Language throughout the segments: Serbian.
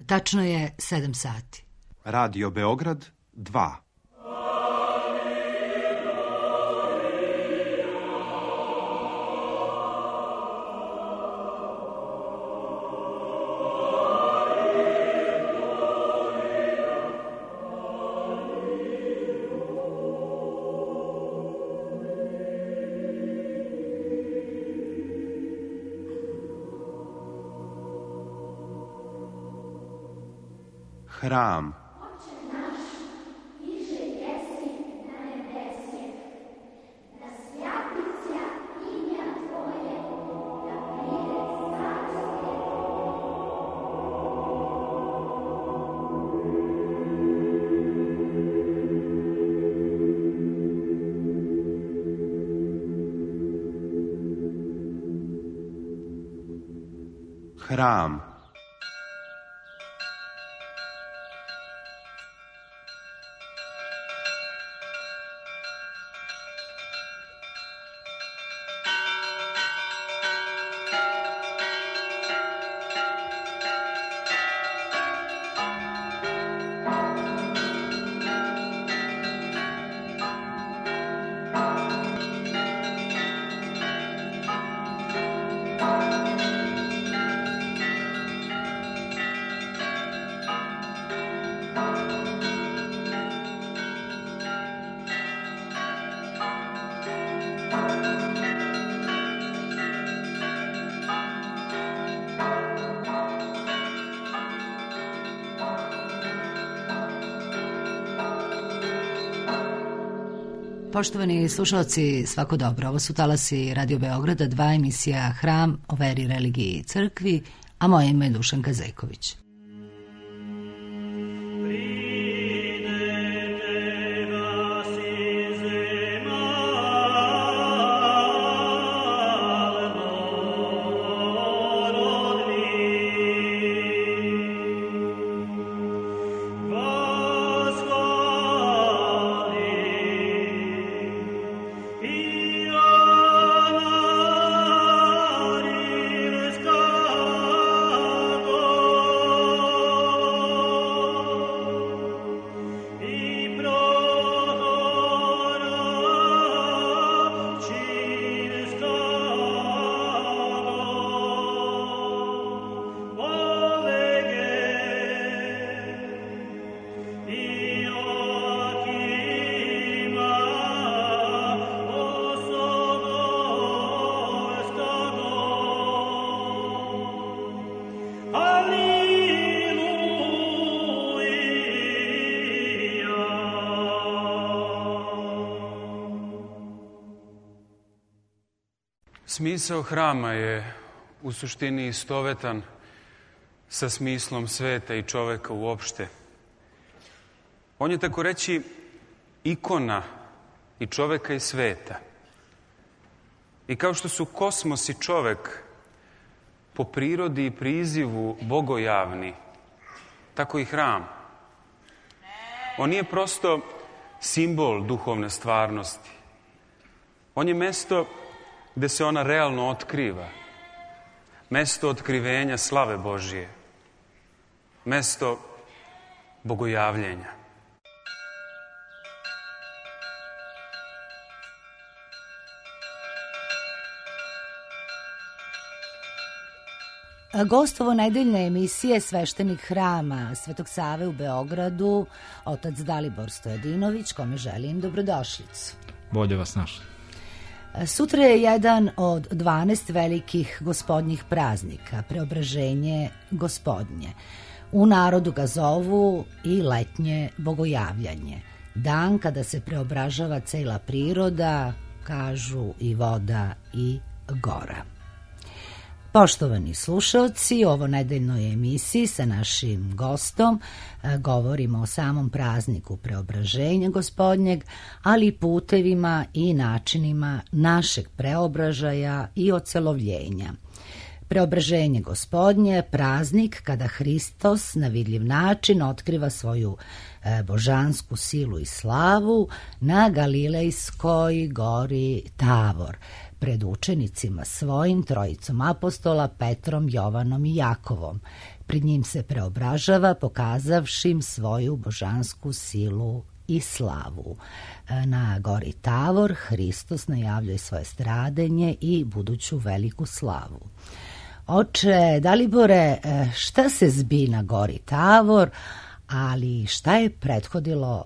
Tačno je 7 sati. Radio Beograd 2. Hram. Hram. Poštovani slušalci, svako dobro. Ovo su talasi Radio Beograda 2, emisija Hram o veri, religiji i crkvi, a moje ime je Dušanka Zejković. Smisao hrama je u suštini istovetan sa smislom sveta i čoveka uopšte. On je, tako reći, ikona i čoveka i sveta. I kao što su kosmos i čovek po prirodi i prizivu bogojavni, tako i hram. On nije prosto simbol duhovne stvarnosti. On je mesto gde se ona realno otkriva. Mesto otkrivenja slave Božije. Mesto bogojavljenja. Gost ovo nedeljne emisije sveštenik hrama Svetog Save u Beogradu, otac Dalibor Stojadinović, kome želim dobrodošlicu. Bolje vas našli. Sutra je jedan od 12 velikih gospodnjih praznika, Preobraženje Gospodnje. U narodu ga zovu i letnje bogojavljanje. Dan kada se preobražava cela priroda, kažu i voda i gora. Poštovani slušalci, ovo nedeljnoj emisiji sa našim gostom govorimo o samom prazniku Preobraženja Gospodnjeg, ali i putevima i načinima našeg preobražaja i ocelovljenja. Preobraženje Gospodnje, praznik kada Hristos na vidljiv način otkriva svoju božansku silu i slavu na Galilejskoj gori Tavor, pred učenicima svojim, trojicom apostola Petrom, Jovanom i Jakovom. Pred njim se preobražava pokazavši im svoju božansku silu i slavu. Na gori Tavor Hristos najavljuje svoje stradenje i buduću veliku slavu. Oče Dalibore, šta se zbi na gori Tavor, ali šta je prethodilo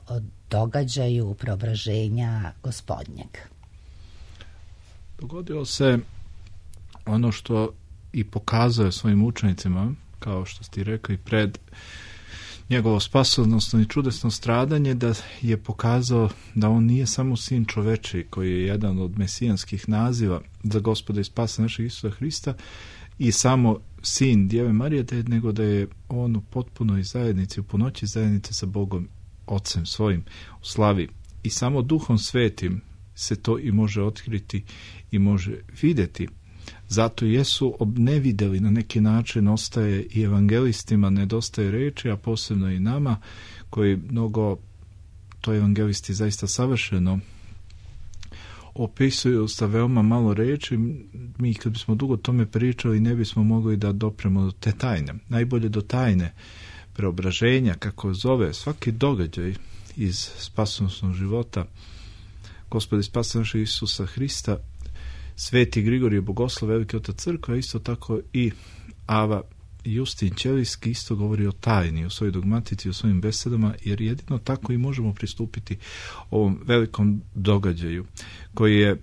događaju preobraženja Gospodnjeg? Dogodilo se ono što i pokazuje svojim učenicima, kao što ste rekli, pred njegovo spasonosno i čudesno stradanje, da je pokazao da on nije samo sin čoveči, koji je jedan od mesijanskih naziva za Gospoda i spasa našeg Isusa Hrista, i samo sin Djeve Marije, nego da je on u potpunoj zajednici, u punoći zajednice sa Bogom, Otcem svojim, u slavi. I samo Duhom Svetim se to i može otkriti i može vidjeti. Zato jesu obnevideli na neki način, ostaje i evangelistima, nedostaje reči, a posebno i nama, koji mnogo, to evangelisti zaista savršeno opisuju sa veoma malo reči. Mi kad bismo dugo tome pričali ne bismo mogli da dopremo do te tajne. Najbolje do tajne preobraženja, kako zove svaki događaj iz spasonosnog života Gospoda i spasa našeg Isusa Hrista, Sveti Grigorije Bogoslov, veliki otac crkve, isto tako i Ava Justin Ćelijski isto govori o tajni, o svojoj dogmatici, o svojim besedama, jer jedino tako i možemo pristupiti ovom velikom događaju koji je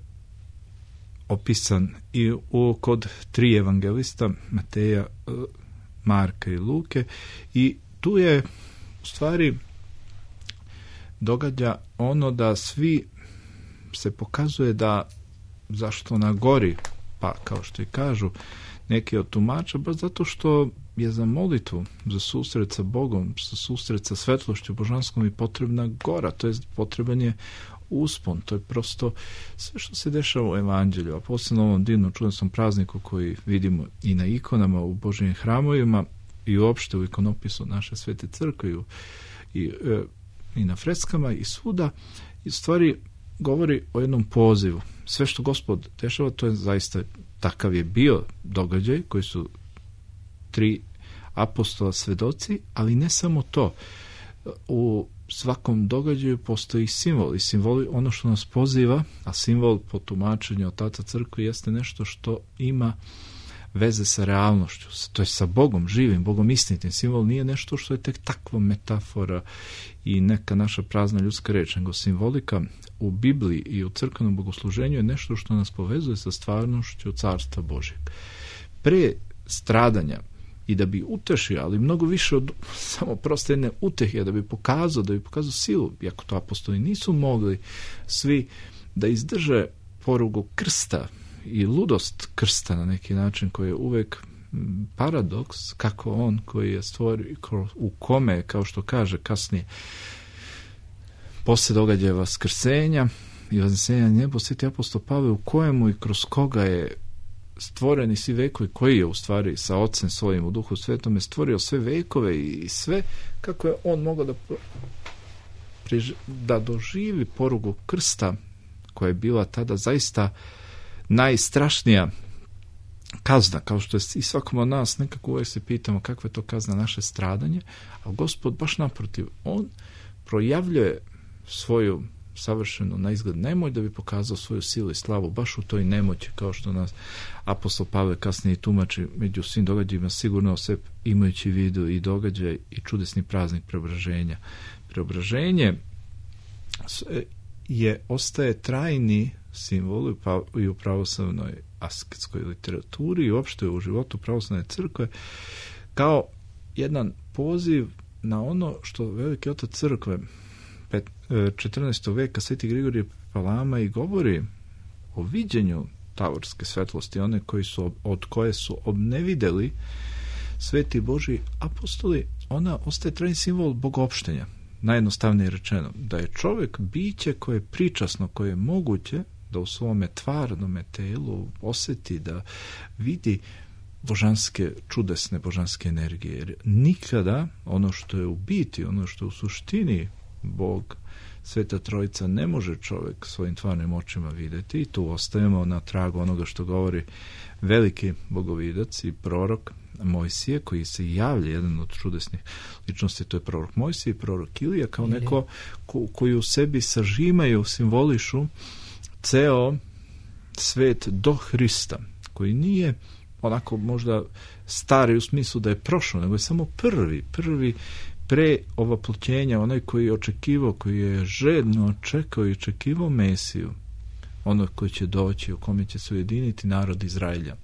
opisan i kod tri evangelista, Mateja, Marka i Luke, i tu je u stvari događa ono da svi se pokazuje da zašto na gori, pa kao što i kažu neki od tumača, baš zato što je za molitvu, za susret sa Bogom, za susret sa svetlošću božanskom i potrebna gora, to je potreban je uspon, to je prosto sve što se dešava u evanđelju, a posebno ovom divnom čudesnom prazniku koji vidimo i na ikonama u Božjim hramovima i uopšte u ikonopisu naše Svete crkve i na freskama i svuda, i stvari govori o jednom pozivu. Sve što Gospod dešava, to je zaista, takav je bio događaj koji su tri apostola svedoci, ali ne samo to. U svakom događaju postoji simbol, i simbol ono što nas poziva, a simbol po tumačenju otaca crkve jeste nešto što ima veze sa realnošću, to je sa Bogom živim, Bogom istinitim. Simbol nije nešto što je tek takva metafora i neka naša prazna ljudska reč, nego simbolika u Bibliji i u crkvenom bogosluženju je nešto što nas povezuje sa stvarnošću Carstva Božjeg. Pre stradanja, i da bi utešio, ali mnogo više od samo proste jedne utehe, da bi pokazao silu, iako to apostoli nisu mogli svi da izdrže porugu krsta i ludost krsta na neki način, koji je uvek paradoks, kako on koji je stvorio, u kome, kao što kaže kasnije, posle događaja vaskrsenja i vaznesenja nebo, Sveti apostol Pavle, u kojemu i kroz koga je stvoreni svi vekovi, koji je u stvari sa Ocem svojim u Duhu Svetome stvorio sve vekove i sve, kako je on mogao da doživi porugu krsta, koja je bila tada zaista najstrašnija kazna, kao što je i svakom od nas, nekako uvijek se pitamo kakva je to kazna naše stradanje, a Gospod baš naprotiv, on projavljuje svoju savršenu na izgled nemoć da bi pokazao svoju silu i slavu baš u toj nemoći, kao što nas apostol Pavle kasnije tumači među svim događajima, sigurno sve imajući vidu i događaj i čudesni praznik preobraženja. Preobraženje ostaje trajni simbol i u pravoslavnoj asketskoj literaturi i uopšte u životu pravoslavne crkve, kao jedan poziv na ono što veliki otac crkve 14. veka Sveti Grigorije Palama i govori o viđenju tavorske svetlosti, one od koje su obnevideli sveti Božji apostoli. Ona ostaje trajni simbol bogopštenja, najjednostavnije rečeno, da je čovjek biće koje je pričasno, koje je moguće da u svome tvarnome telu osjeti, da vidi božanske, čudesne božanske energije. Jer nikada ono što je u biti, ono što je u suštini Bog, Sveta Trojica, ne može čovjek svojim tvarnim očima vidjeti, i tu ostajemo na tragu onoga što govori veliki bogovidac i prorok Mojsije, koji se javlja, jedan od čudesnih ličnosti, to je prorok Mojsije i prorok Ilija, kao neko koji u sebi sažimaju, simbolišu ceo svet do Hrista, koji nije onako možda stari u smislu da je prošao, nego je samo prvi pre ovoploćenja, onaj koji je očekivao, koji je žedno čekao i očekivao Mesiju, ono koji će doći, u kome će se ujediniti narod Izraelja.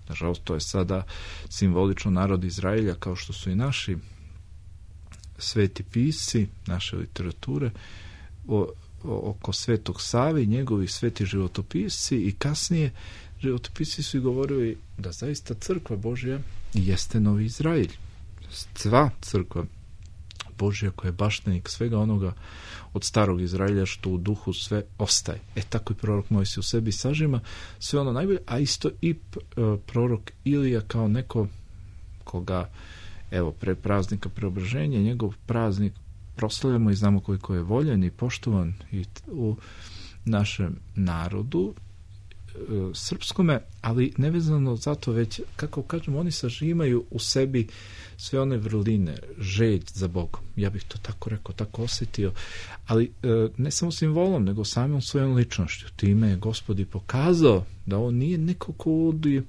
Nažalost, to je sada simbolično narod Izraelja, kao što su i naši sveti pisci, naše literature, oko Svetog Save i njegovi sveti životopisci, i kasnije životopisci su i govorili da zaista crkva Božja jeste novi Izraelj. Sva crkva Božja koja je baštenik svega onoga od starog Izraelja što u duhu sve ostaje. Tako i prorok Mojsije u sebi sažima sve ono najbolje, a isto i prorok Ilija kao neko koga, evo, pre praznika Preobraženja, njegov praznik proslavljamo i znamo koliko je voljen i poštovan i u našem narodu srpskome, ali nevezano zato, već, kako kažemo, oni sažimaju u sebi sve one vrline, želj za Bogom. Ja bih to tako rekao, tako osjetio, ali ne samo simbolom, nego samom svojom ličnošću. Time je Gospod i pokazao da on nije neko ko uvodi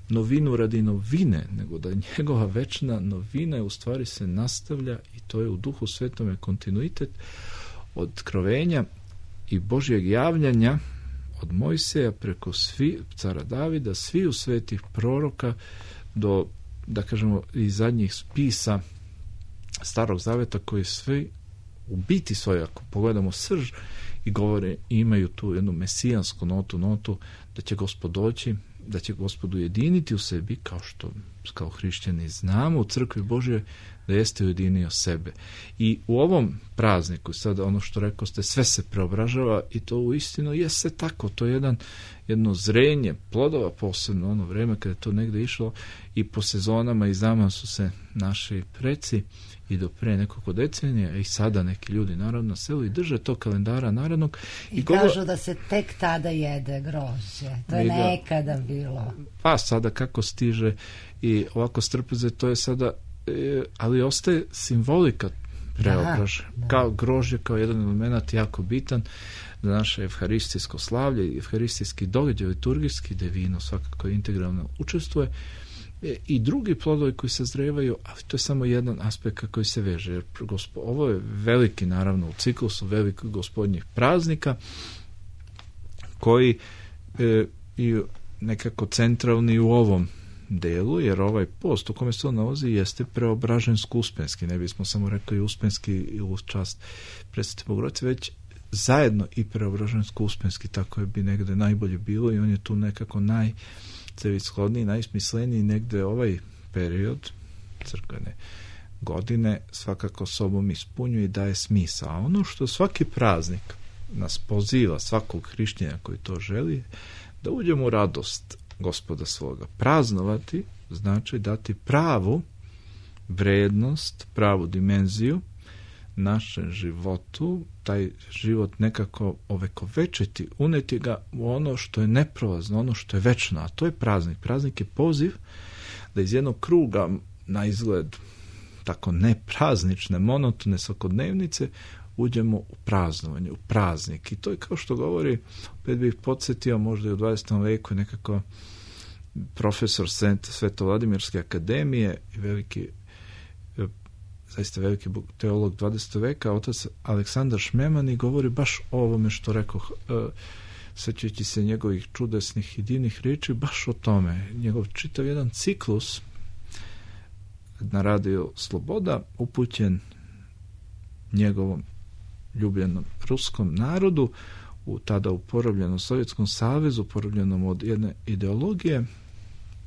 novinu radi novine, nego da njegova večna novina u stvari se nastavlja, i to je u Duhu Svetome kontinuitet otkrovenja i Božjeg javljanja od Mojseja preko cara Davida, sviju svetih proroka do, da kažemo, i zadnjih spisa Starog Zaveta, koji svi u biti svoje, ako pogledamo srž, i govore, imaju tu jednu mesijansku notu da će Gospod doći, da će Gospod ujediniti u sebi, kao što kao hrišćani znamo u crkvi Božje da jeste ujedinio sebe. I u ovom prazniku, sada ono što rekao ste, sve se preobražava, i to uistinu jeste tako. To je jedno zrenje plodova, posebno ono vreme kada je to negde išlo, i po sezonama i znamo su se naši preci i do pre nekoliko decenija, i sada neki ljudi naravno na selu i drže to kalendara narodnog. I kažu da se tek tada jede grožđe. To je nekada bilo. Pa sada kako stiže i ovako strpeze, to je sada, ali ostaje simbolika preobraže. Kao grožđe, kao jedan element jako bitan za naše evharistijsko slavlje i evharistijski događaj liturgijski, gde vino svakako integralno učestvuje, i drugi plodovi koji se zrevaju, ali to je samo jedan aspekt koji se veže. Jer ovo je veliki, naravno, u ciklusu velikih gospodnjih praznika, koji i nekako centralni u ovom delu, jer ovaj post u kome se on nalazi jeste preobražensko-uspenski. Ne bismo samo rekli uspenski u čast Presvete Bogorodice, već zajedno i preobražensko-uspenski, tako je bi negde najbolje bilo, i on je tu nekako najcelishodniji, najsmisleniji. Negde ovaj period crkvene godine svakako sobom ispunjuje i daje smisao. A ono što svaki praznik nas poziva, svakog hrišćanina koji to želi, da uđemo u radost Gospoda svoga. Praznovati znači dati pravu vrednost, pravu dimenziju našem životu, taj život nekako ovekovečiti, uneti ga u ono što je neprolazno, ono što je večno, a to je praznik. Praznik je poziv da iz jednog kruga, na izgled tako nepraznične, monotone svakodnevnice, uđemo u praznovanje, u praznik. I to je, kao što govori, opet bih podsjetio, možda i u 20. veku nekako profesor Sveto Vladimirske akademije i zaista veliki teolog 20. veka, otac Aleksandar Šmeman, i govori baš o ovome što rekao, sećajući se njegovih čudesnih i divnih riječi, baš o tome. Njegov čitav jedan ciklus na Radio Sloboda, upućen njegovom ljubljenom ruskom narodu, tada u porobljenom Sovjetskom savezu, porobljenom od jedne ideologije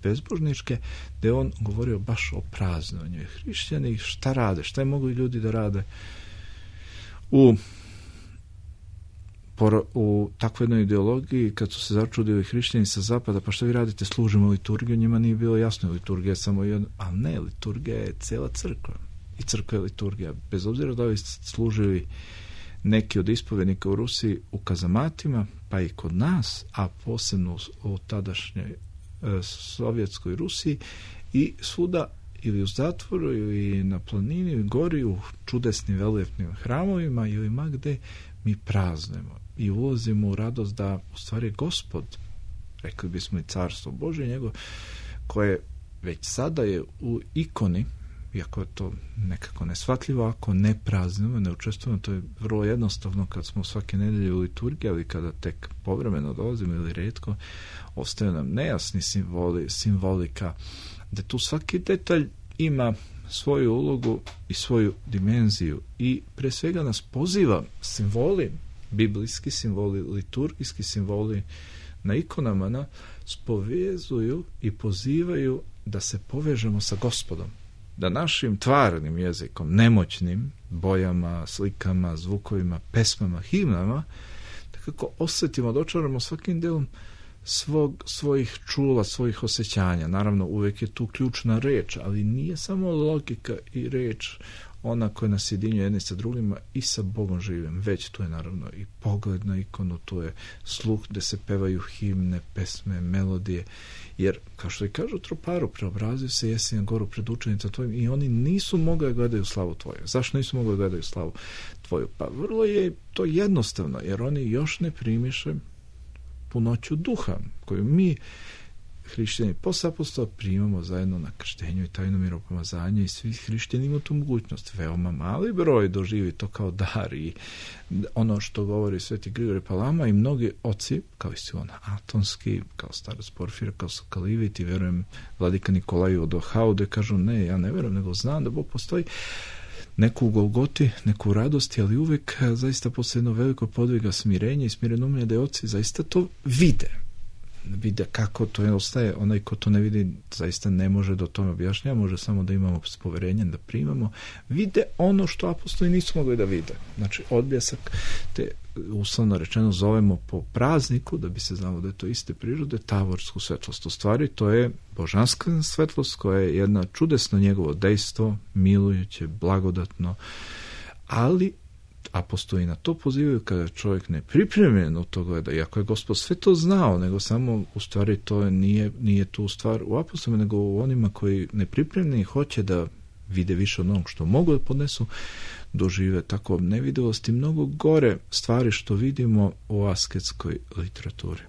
bezbožničke, gde on govorio baš o praznovanju. Hrišćani šta rade, šta je mogu ljudi da rade u u takvoj jednoj ideologiji, kad su se začudili hrišćani sa zapada, pa što vi radite, služimo liturgiju, njima nije bilo jasno, liturgija je samo jedna, ali ne, liturgija je cela crkva i crkva je liturgija, bez obzira da li služili neki od ispovednika u Rusiji u kazamatima, pa i kod nas, a posebno u tadašnjoj sovjetskoj Rusiji i svuda ili u zatvoru ili na planini ili gori u čudesnim velepnim hramovima ili ma gde mi praznujemo i ulazimo u radost da u stvari Gospod, rekli bismo i Carstvo Božje njegov, koje već sada je u ikoni, iako je to nekako neshvatljivo, ako ne praznujemo, ne učestvujemo, to je vrlo jednostavno kad smo svake nedelje u liturgiji, ali kada tek povremeno dolazimo ili retko, ostaju nam nejasni simbolika, da tu svaki detalj ima svoju ulogu i svoju dimenziju i pre svega nas poziva simboli, biblijski simboli, liturgijski simboli na ikonama spovezuju i pozivaju da se povežemo sa Gospodom, da našim tvarnim jezikom, nemoćnim bojama, slikama, zvukovima, pesmama, himnama, tako osjetimo, dočaramo svakim delom svojih čula, svojih osjećanja. Naravno, uvijek je tu ključna reč, ali nije samo logika i reč ona koja nas jedinjuje jedni sa drugima i sa Bogom živim, već tu je naravno i pogled na ikonu, tu je sluh gde se pevaju himne, pesme, melodije, jer kao što i kažu troparu, preobrazio se jesi na goru pred učenicom tvojim i oni nisu mogli da gledaju slavu tvoju. Zašto nisu mogli da gledaju slavu tvoju? Pa vrlo je to jednostavno, jer oni još ne primiše punoću duha, koju mi, hrišćani posle apostola, primamo zajedno na krštenju i tajnom miropomazanja i svi hrišćani imaju tu mogućnost. Veoma mali broj doživi to kao dar i ono što govori sveti Grigorije Palama i mnogi oci, kao i Silon Atonski, kao starac Porfira, kao Sokalivit i verujem vladika Nikolaju od Ohaude, kažu ne, ja ne verujem, nego znam da Bog postoji, neku u Golgoti, neku u radosti, ali uvek zaista posle jedno veliko podviga smirenja i smirenomlja da je oci zaista to vide kako to ostaje. Onaj ko to ne vidi zaista ne može do tome objašnjava, može samo da imamo poverenje, da primamo, vide ono što apostoli nisu mogli da vide. Znači odbljesak, te uslovno rečeno zovemo po prazniku, da bi se znalo da je to iste prirode, tavorsku svetlost. U stvari to je božanska svetlost koja je jedna čudesno njegovo dejstvo, milujuće, blagodatno, ali apostoli na to pozivaju kada čovjek ne pripremljen u to gleda, iako je Gospod sve to znao, nego samo u stvari to nije tu stvar u apostolima, nego u onima koji ne pripremljeni hoće da vide više od onog što mogu da podnesu, dožive tako nevidelosti, mnogo gore stvari što vidimo u asketskoj literaturi.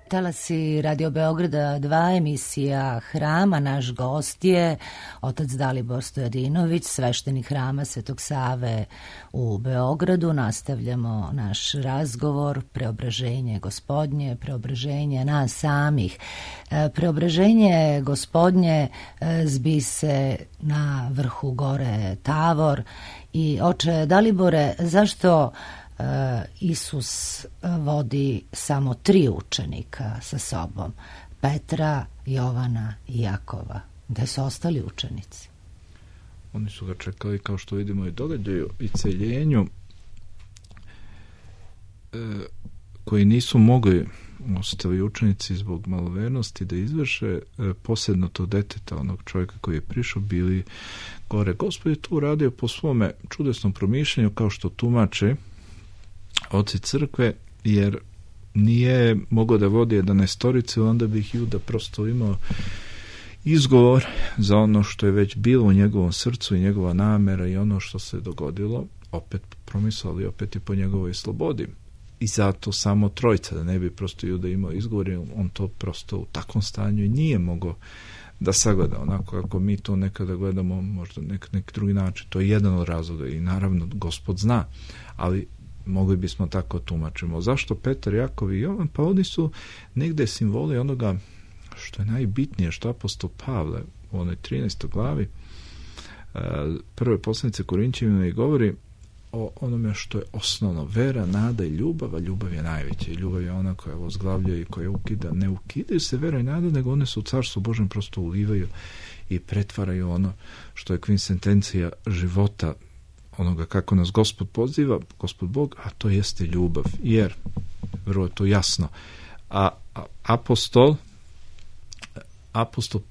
Talasi Radio Beograda 2, emisija Hrama. Naš gost je otac Dalibor Stojadinović, sveštenik Hrama Svetog Save u Beogradu. Nastavljamo naš razgovor, preobraženje Gospodnje, preobraženje nas samih. Preobraženje Gospodnje zbi se na vrhu gore Tavor. I oče Dalibore, zašto Isus vodi samo 3 učenika sa sobom, Petra, Jovana i Jakova? Gde su ostali učenici? Oni su ga čekali, kao što vidimo, i događaju i celjenju, koji nisu mogli ostali učenici zbog malovernosti da izvrše, posebno tog deteta, onog čovjeka koji je prišao, bili gore. Gospod je tu uradio po svome čudesnom promišljanju, kao što tumače oci crkve, jer nije mogao da vodi 11, onda bi Juda prosto imao izgovor za ono što je već bilo u njegovom srcu i njegova namera i ono što se dogodilo, opet promislili, opet i po njegovoj slobodi. I zato samo 3, da ne bi prosto Juda imao izgovor, on to prosto u takvom stanju i nije mogao da sagleda, onako kako mi to nekada gledamo, možda neki drugi način. To je jedan od razloga i naravno Gospod zna, ali mogli bismo tako tumačimo. Zašto Petar, Jakov i Jovan? Pa oni su negde simboli onoga što je najbitnije, što apostol Pavle u onoj 13. glavi prve poslanice Korinćanima i govori o onome što je osnovno: vera, nada i ljubav, a ljubav je najveća. I ljubav je ona koja ozglavljuje i koja ukida. Ne ukidaju se vera i nada, nego one su u Carstvu Božjem prosto ulivaju i pretvaraju ono što je kvinsentencija života, onoga kako nas Gospod poziva, Gospod Bog, a to jeste ljubav. Jer, vrlo je to jasno, a apostol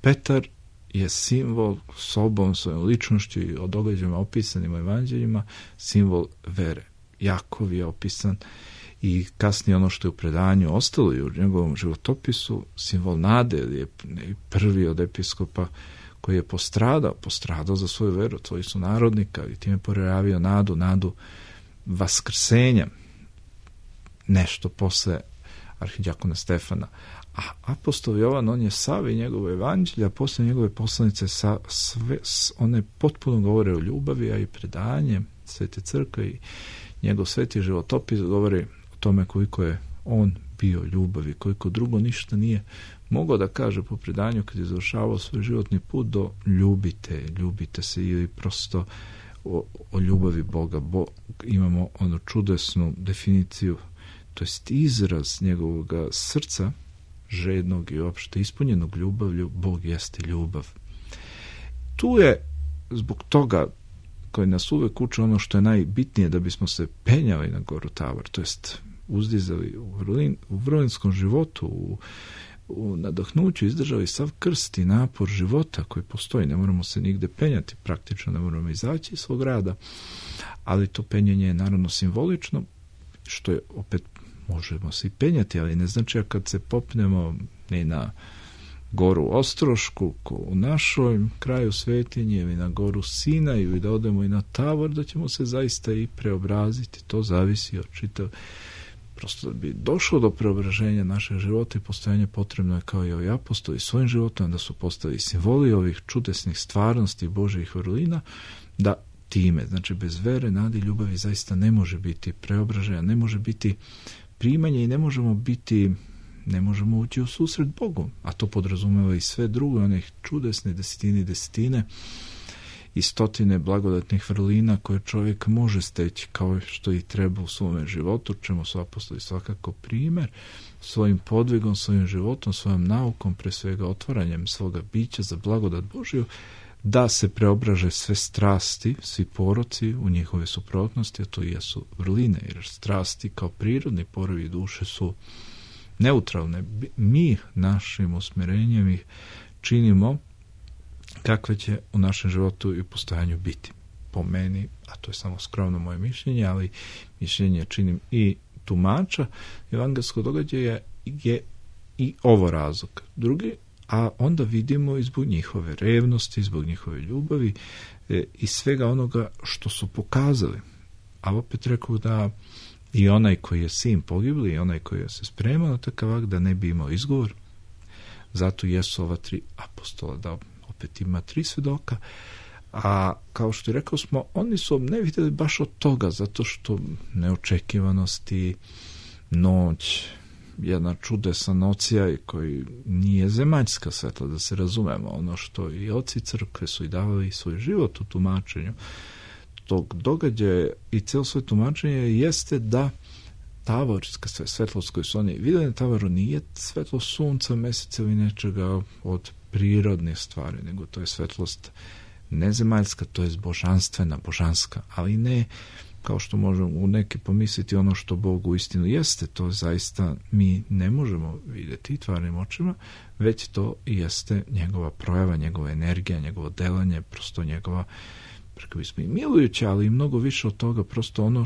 Petar je simbol sobom, svojom ličnošću i o događajima opisanim u evanđeljima, simbol vere. Jakov je opisan i kasnije ono što je u predanju ostalo i u njegovom životopisu, simbol nade, je prvi od episkopa koji je postradao za svoju veru, tvoji su narodnika, i time porjavio nadu vaskrsenja, nešto posle arhidjakona Stefana. A apostol Jovan, on je sav i njegove evanđelja, posle njegove poslanice, one potpuno govore o ljubavi, a i predanje Svete crkve i njegov sveti životopis govori o tome koliko je on bio ljubavi, koliko drugo ništa nije mogao da kaže po predanju kad je završavao svoj životni put do ljubite se, ili prosto o ljubavi Boga. Imamo onu čudesnu definiciju, to jest izraz njegovog srca, žednog i opšte ispunjenog ljubavlju: Bog jeste ljubav. Tu je zbog toga koji nas uvek uče ono što je najbitnije da bismo se penjali na goru Tavor, to jest uzdizali u vrlinskom životu, u nadahnuću, izdržali sav krst i napor života koji postoji. Ne moramo se nigde penjati, praktično ne moramo izaći iz svog rada, ali to penjanje je naravno simbolično, što je opet, možemo se i penjati, ali ne znači kad se popnemo ni na goru Ostrošku u našoj kraju svetinje ili na goru Sinaju i da odemo i na Tavor, da ćemo se zaista i preobraziti. To zavisi od čitav. Prosto da bi došlo do preobraženja našeg života i postojanja, potrebno je, kao i ovi apostoli svojim životom, da su postali simboli ovih čudesnih stvarnosti Božjih vrlina, da time, znači bez vere, nade i ljubavi, zaista ne može biti preobraženja, ne može biti primanje i ne možemo ući u susret Bogu, a to podrazumeva i sve drugo, onih čudesne desetine i stotine blagodatnih vrlina koje čovjek može steći, kao što i treba u svome životu, čemu su apostoli svakako primjer, svojim podvigom, svojim životom, svojom naukom, pre svega otvaranjem svoga bića za blagodat Božju, da se preobraže sve strasti, svi poroci u njihove suprotnosti, a to i jesu vrline, jer strasti kao prirodni porovi duše su neutralne. Mi našim usmjerenjem ih činimo kakve će u našem životu i postojanju biti. Po meni, a to je samo skromno moje mišljenje, ali mišljenje činim i tumača evangelskog događaja, je i ovo razlog. Drugi, a onda vidimo i zbog njihove revnosti, zbog njihove ljubavi i svega onoga što su pokazali. A opet rekao da i onaj koji je sin pogibli i onaj koji je se spremao na takav akt da ne bi imao izgovor. Zato jesu ova 3 apostola, da opet ima 3 svedoka, a kao što je rekao smo, oni su ne vidjeli baš od toga, zato što neočekivanosti, noć, jedna čudesna nocija koji nije zemaljska svetla, da se razumemo, ono što i oci crkve su i davali svoj život u tumačenju tog događaja i cijelo svoje tumačenje jeste da tavorska svetlost koju su oni vidjeli na tavoru nije svetlost sunca, meseca ili nečega od prirodne stvari, nego to je svetlost nezemaljska, to je božanstvena, božanska, ali ne kao što možemo u neki pomisliti ono što Bog u istinu jeste, to zaista mi ne možemo vidjeti tvarnim očima, već to jeste njegova projava, njegova energija, njegovo delanje, prosto njegova, rekao bismo i milujuća, ali i mnogo više od toga, prosto ono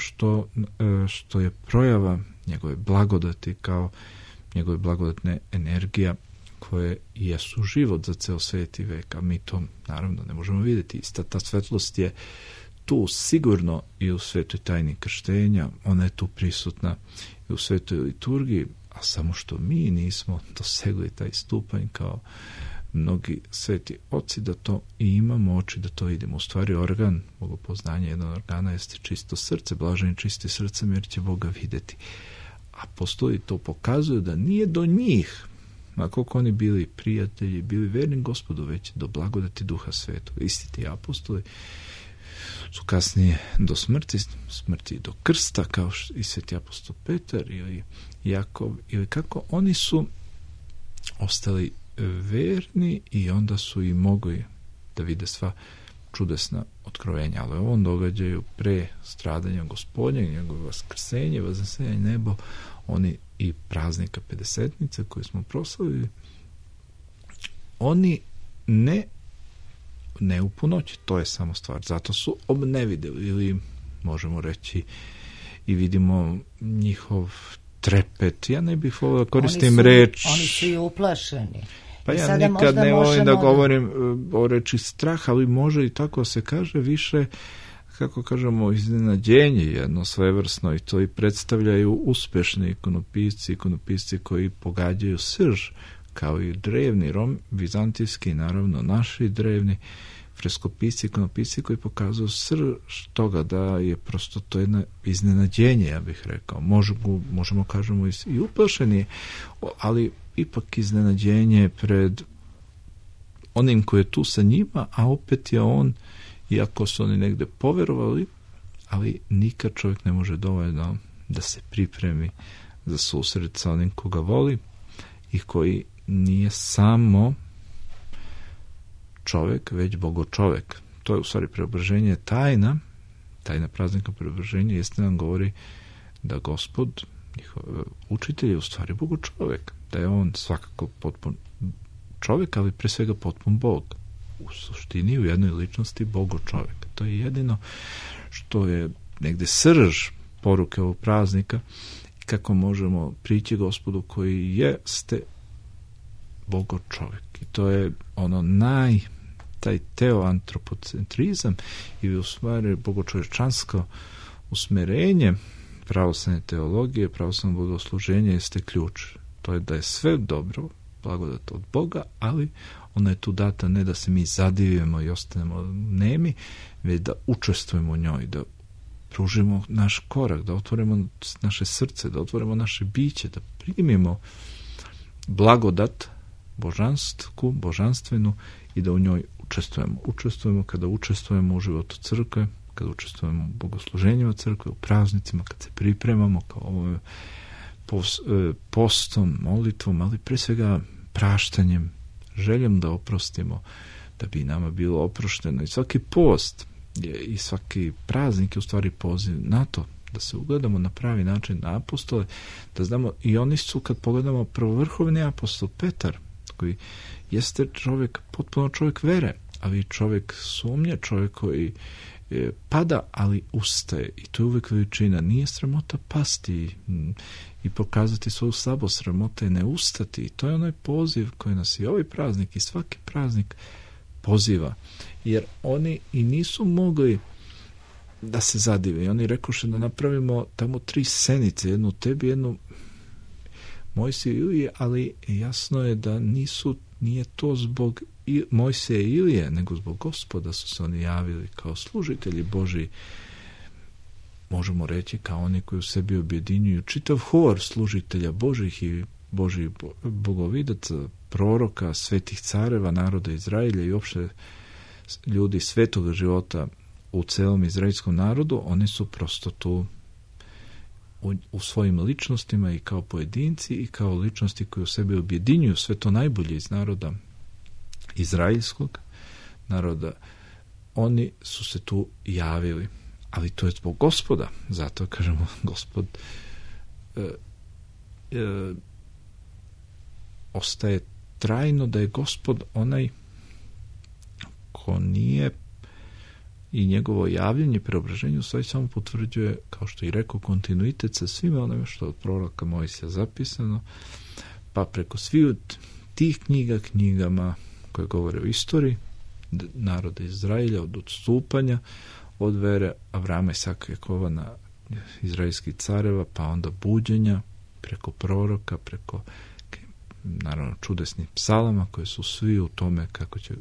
što je projava njegove blagodati, kao njegove blagodatne energija koje jesu život za ceo svijet i vek, a mi to naravno ne možemo vidjeti. Ista ta svetlost je tu sigurno i u svetoj tajni krštenja, ona je tu prisutna i u svetoj liturgiji, a samo što mi nismo dosegli taj stupanj kao mnogi sveti oci da to i imamo oči da to vidimo. U stvari organ bogopoznanja, jedan od organa jeste čisto srce, blaženi čisti srcem jer će Boga vidjeti. Apostoli to pokazuju da nije do njih, ma koliko oni bili prijatelji, bili verni Gospodu, već do blagodati Duha Svetog. Isti ti apostoli su kasnije do smrti do krsta, kao i sveti apostol Petar ili Jakov, ili kako oni su ostali verni i onda su i mogli da vide sva čudesna otkrovenja, ali u ovom događaju pre stradanja Gospodnjeg, njegovo vaskrsenje, vaznesenje nebo, oni i praznika Pedesetnice koji smo proslavili, oni ne u punoći, to je samo stvar, zato su obnevideli, ili možemo reći i vidimo njihov trepet, ja ne bih volio da koristim reč. Oni su i uplašeni. Pa ja nikad ne volim da govorim o reči strah, ali može i tako se kaže više, kako kažemo, iznenađenje jedno svevrsno, i to i predstavljaju uspešni ikonopisci koji pogađaju srž, kao i drevni vizantijski, naravno naši drevni freskopisci, ikonopisci koji pokazuju srž toga da je prosto to jedno iznenađenje, ja bih rekao. Možemo kažemo i uplašeni, ali ipak iznenađenje pred onim koji je tu sa njima, a opet je on, iako su oni negde poverovali, ali nikad čovjek ne može dovoljno da se pripremi za susret sa onim koga voli i koji nije samo čovjek, već bogočovjek. To je u stvari preobraženje tajna praznika preobraženja, jeste nam govori da Gospod, njihov učitelj, je u stvari bogočovjek, da je on svakako potpun čovjek, ali pre svega potpun Bog. U suštini, u jednoj ličnosti bogočovjek. To je jedino što je negde srž poruke ovog praznika, kako možemo prići Gospodu koji jeste bogočovjek. I to je ono taj teoantropocentrizam i u stvari bogočovječansko usmerenje pravoslavne teologije, pravoslavno bogosluženje jeste ključ. To je da je sve dobro, blagodat od Boga, ali ona je tu data ne da se mi zadivimo i ostanemo nemi, već da učestvujemo u njoj, da pružimo naš korak, da otvorimo naše srce, da otvorimo naše biće, da primimo blagodat božanstvenu i da u njoj učestvujemo. Učestvujemo kada učestvujemo u životu crkve, kada učestvujemo u bogosluženjima crkve, u praznicima, kad se pripremamo kao postom, molitvom, ali pre svega praštanjem, željom da oprostimo, da bi nama bilo oprošteno. I svaki post i svaki praznik je u stvari poziv na to, da se ugledamo na pravi način na apostole, da znamo, i oni su, kad pogledamo, prvovrhovni apostol Petar, koji jeste čovjek, potpuno čovjek vere, ali čovjek sumnje, čovjek koji pada, ali ustaje. I to je uvijek veličina. Nije sramota pasti i pokazati svoju slabost, sramota je ne ustati. I to je onaj poziv koji nas i ovaj praznik i svaki praznik poziva. Jer oni i nisu mogli da se zadive. I oni rekoše da napravimo tamo 3 senice, jednu tebi, jednu Mojsiju i Ilije, ali jasno je da nije to zbog Mojsija i Ilije, nego zbog Gospoda su se oni javili kao služitelji Božji, možemo reći kao oni koji u sebi objedinjuju čitav hor služitelja Božjih i Božjih bogovidaca, proroka, svetih careva, naroda Izraelja i uopšte ljudi svetoga života u celom izraelskom narodu. Oni su prosto tu u svojim ličnostima i kao pojedinci i kao ličnosti koje u sebi objedinjuju sve to najbolje iz naroda izraelskog naroda. Oni su se tu javili, ali to je zbog Gospoda. Zato kažemo Gospod ostaje trajno da je Gospod onaj ko nije, i njegovo javljanje preobraženju sve samo potvrđuje, kao što i rekao, kontinuitet sa svime onome što je od proroka Mojsija zapisano, pa preko svih tih knjigama koje govore o istoriji naroda Izraelja, od odstupanja od vere Avrama, Isaka, Jakova na izraelskih careva, pa onda buđenja preko proroka, preko naravno čudesnih psalama koje su svi u tome kako će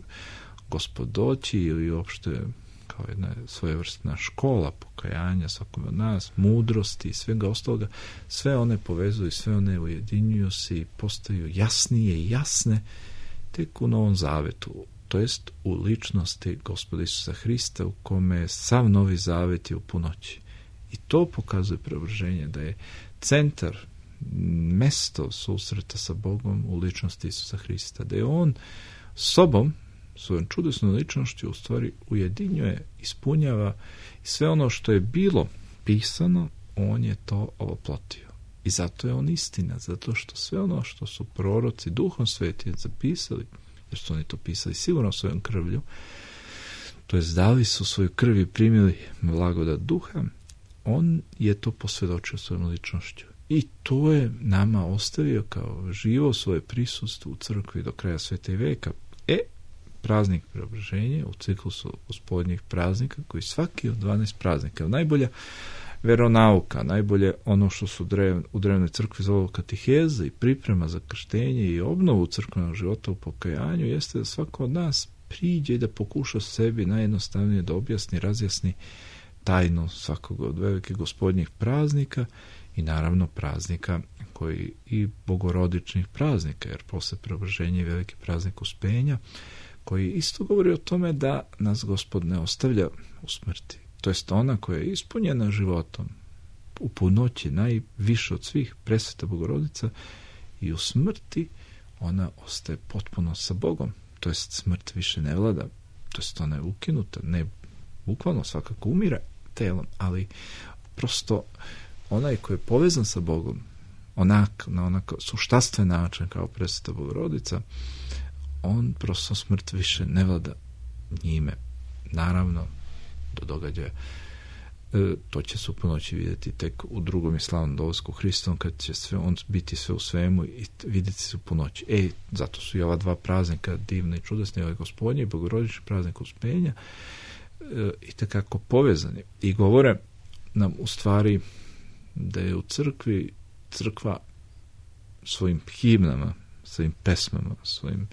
Gospod doći, ili uopšte kao jedna svojevrsna škola pokajanja svakome od nas, mudrosti i svega ostaloga. Sve one povezuju, sve one ujedinjuju se i postaju jasnije i jasne tek u Novom Zavetu, to jest u ličnosti Gospoda Isusa Hrista, u kome je sav Novi Zavet je u punoći. I to pokazuje preobraženje, da je centar, mesto susreta sa Bogom u ličnosti Isusa Hrista, da je on sobom, svojom čudesnom ličnošću u stvari ujedinjuje, ispunjava i sve ono što je bilo pisano, on je to ovoplotio. I zato je on istina, zato što sve ono što su proroci Duhom Svetim zapisali, jer su oni to pisali sigurno svojom krvlju, to jest dali su svoju krv i primili blagodat Duha, on je to posvjedočio svojom ličnošću. I to je nama ostavio kao živo svoje prisustvo u crkvi do kraja sveta i veka. Praznik preobraženja u ciklusu gospodnjih praznika, koji svaki od 12 praznika, najbolja veronauka, najbolje ono što su u drevnoj crkvi zove kateheza i priprema za krštenje i obnovu crkvenog života u pokajanju, jeste da svako od nas priđe i da pokuša sebi najjednostavnije da objasni, razjasni tajnu svakog od velikih gospodnjih praznika i naravno praznika koji i bogorodičnih praznika, jer posle preobraženja je veliki praznik Uspenja, koji isto govori o tome da nas Gospod ne ostavlja u smrti. To jest ona koja je ispunjena životom u punoći, najviše od svih, presveta Bogorodica, i u smrti ona ostaje potpuno sa Bogom. To jest smrt više ne vlada. To jest ona je ukinuta. Ne bukvalno, svakako umire telom, ali prosto onaj koji je povezan sa Bogom, na onako suštastven način kao presveta Bogorodica, on prosto smrt više ne vlada njime. Naravno, do događaja to će se u punoći vidjeti tek u drugom i slavnom dolasku Hristom, kad će on biti sve u svemu i vidjeti se u punoći. Zato su i ova 2 praznika divne i čudesne, ovaj gospodnji i bogorodični praznik Uspenja, i takako povezani. I govore nam u stvari da je u crkva svojim himnama, svojim pesmama, svojim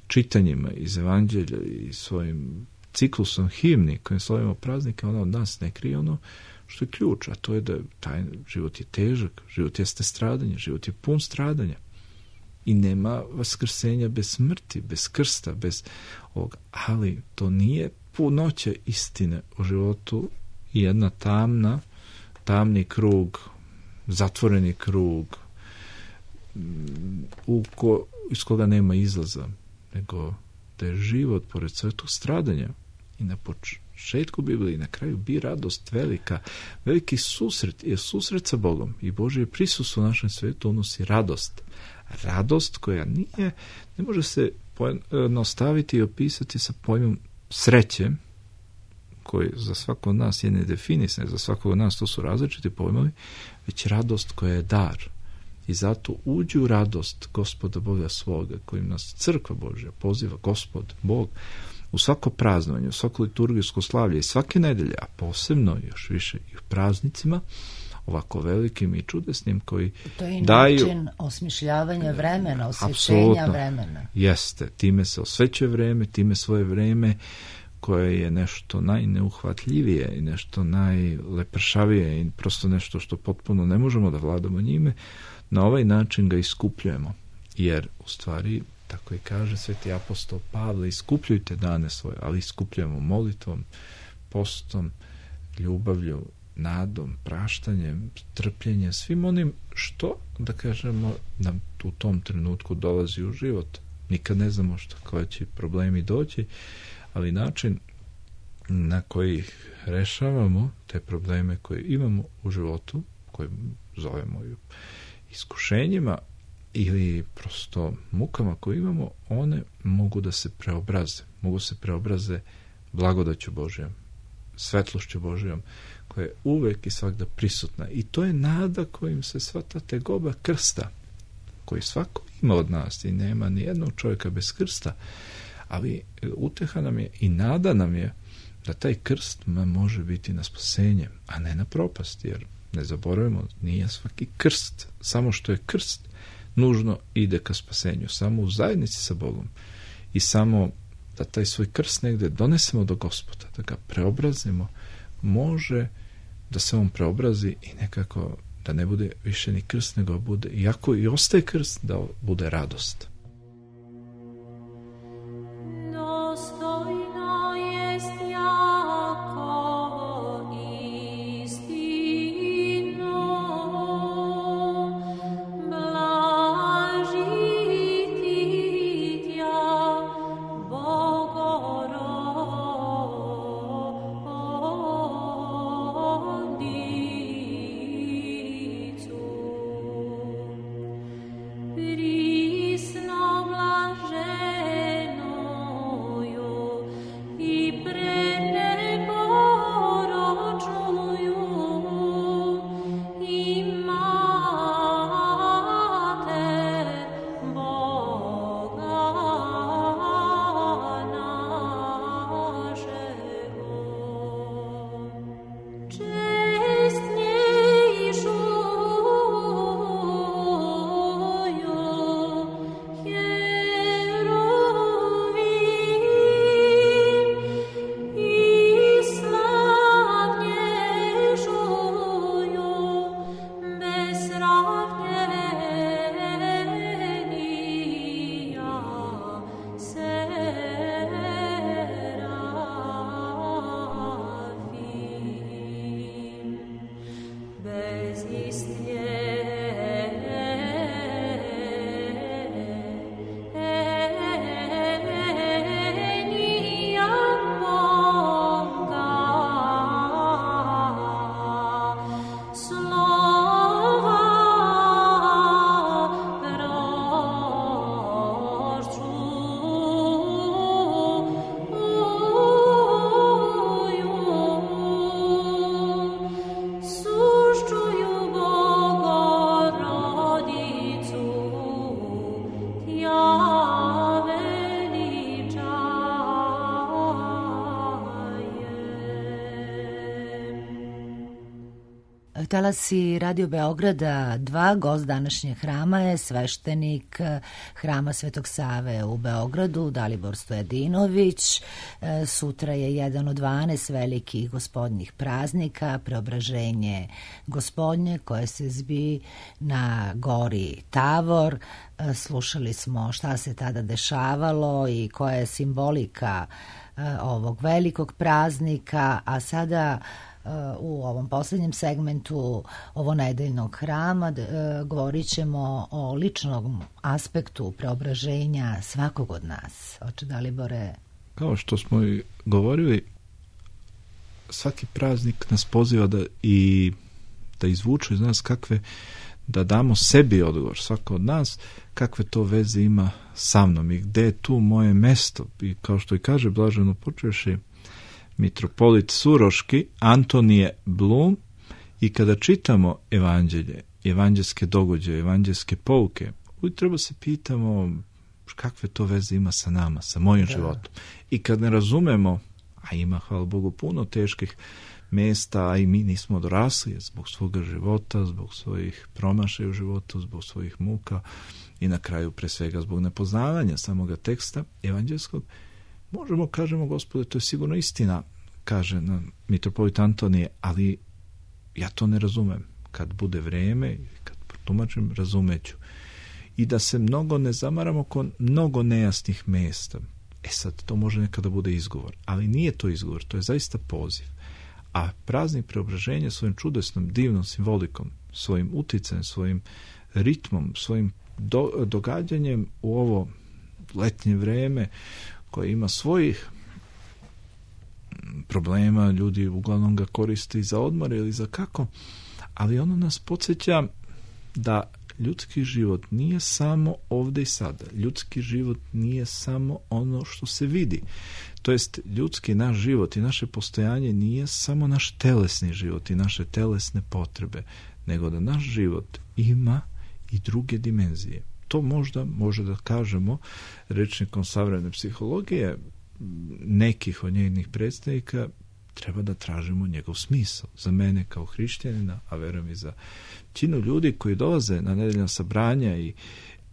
čitanjima iz Evanđelja i svojim ciklusom himni kojim slavimo praznike, ona od nas ne krije ono što je ključ, a to je da taj život je težak, život jeste stradanje, život je pun stradanja i nema vaskrsenja bez smrti, bez krsta, bez ovoga. Ali to nije punoća istine u životu i jedna tamni krug, zatvoreni krug iz koga nema izlaza, nego da je život pored svetog stradanja i na početku Biblije i na kraju bi radost velika. Veliki susret je susret sa Bogom i Božje prisustvo u našem svetu unosi radost. Radost koja ne može se pojednostaviti i opisati sa pojmom sreće, koji za svako od nas je nedefinisan, za svakog od nas to su različiti pojmovi, već radost koja je dar. I zato uđi u radost Gospoda Boga svoga, kojim nas crkva Božja poziva, Gospod, Bog, u svako praznovanje, u svako liturgijsko slavlje i svake nedelje, a posebno još više i u praznicima, ovako velikim i čudesnim, koji to je i daju... način osmišljavanja vremena, osvećenja vremena. Jeste, time se osvećuje vreme, time svoje vreme koje je nešto najneuhvatljivije i nešto najlepršavije i prosto nešto što potpuno ne možemo da vladamo njime, na ovaj način ga iskupljujemo. Jer, u stvari, tako i kaže sveti apostol Pavle, iskupljujte dane svoje, ali iskupljujemo molitvom, postom, ljubavlju, nadom, praštanjem, trpljenjem, svim onim što, da kažemo, nam u tom trenutku dolazi u život. Nikad ne znamo koji će problemi doći, ali način na koji rešavamo te probleme koje imamo u životu, koje zovemo iskušenjima ili prosto mukama koje imamo, one mogu da se preobraze. Mogu se preobraze blagodaću Božjom, svetlošću Božjom, koja je uvek i svakda prisutna. I to je nada kojim se sva ta tegoba krsta, koji svako ima od nas i nema ni jednog čovjeka bez krsta, ali uteha nam je i nada nam je da taj krst može biti na spasenje, a ne na propast, jer ne zaboravimo, nije svaki krst, samo što je krst, nužno ide ka spasenju, samo u zajednici sa Bogom i samo da taj svoj krst negde donesemo do Gospoda, da ga preobrazimo, može da se on preobrazi i nekako da ne bude više ni krst, nego bude, iako i ostaje krst, da bude radost. Talasi Radio Beograda 2, gost današnjeg hrama je sveštenik Hrama Svetog Save u Beogradu, Dalibor Stojadinović. Sutra je jedan od 12 velikih gospodnjih praznika, Preobraženje Gospodnje, koje se zbi na gori Tavor. Slušali smo šta se tada dešavalo i koja je simbolika ovog velikog praznika, a sada u ovom posljednjem segmentu ovonedeljnog hrama govorit ćemo o ličnom aspektu preobraženja svakog od nas. Oče Dalibore? Kao što smo i govorili, svaki praznik nas poziva da izvuče iz nas da damo sebi odgovor, svako od nas, kakve to veze ima sa mnom i gde je tu moje mesto. I kao što i kaže blaženo počeši mitropolit Suroški, Antonije Blum, i kada čitamo evanđelje, evanđelske događaje, evanđelske pouke, uvijek treba se pitamo kakve to veze ima sa nama, sa mojim životom. I kad ne razumemo, a ima, hvala Bogu, puno teških mesta, a i mi nismo dorasli zbog svoga života, zbog svojih promašaja u životu, zbog svojih muka i na kraju pre svega zbog nepoznavanja samoga teksta evanđelskog, možemo kažemo, Gospode, to je sigurno istina, kaže nam mitropolit Antonije, ali ja to ne razumem. Kad bude vreme, kad protumačim, razumeću. I da se mnogo ne zamaramo kod mnogo nejasnih mesta. Sad, to može nekada bude izgovor, ali nije to izgovor, to je zaista poziv. A praznik preobraženja svojim čudesnom, divnom simbolikom, svojim uticajem, svojim ritmom, svojim događanjem u ovo letnje vreme koje ima svojih problema, ljudi uglavnom ga koriste i za odmor ili za kako, ali ono nas podsjeća da ljudski život nije samo ovdje i sada. Ljudski život nije samo ono što se vidi. To jest, ljudski naš život i naše postojanje nije samo naš telesni život i naše telesne potrebe, nego da naš život ima i druge dimenzije. To možda može da kažemo rečnikom savremene psihologije, nekih od njenih predstavnika, treba da tražimo njegov smisao. Za mene kao hrišćanina, a verujem i za većinu ljudi koji dolaze na nedeljna sabranja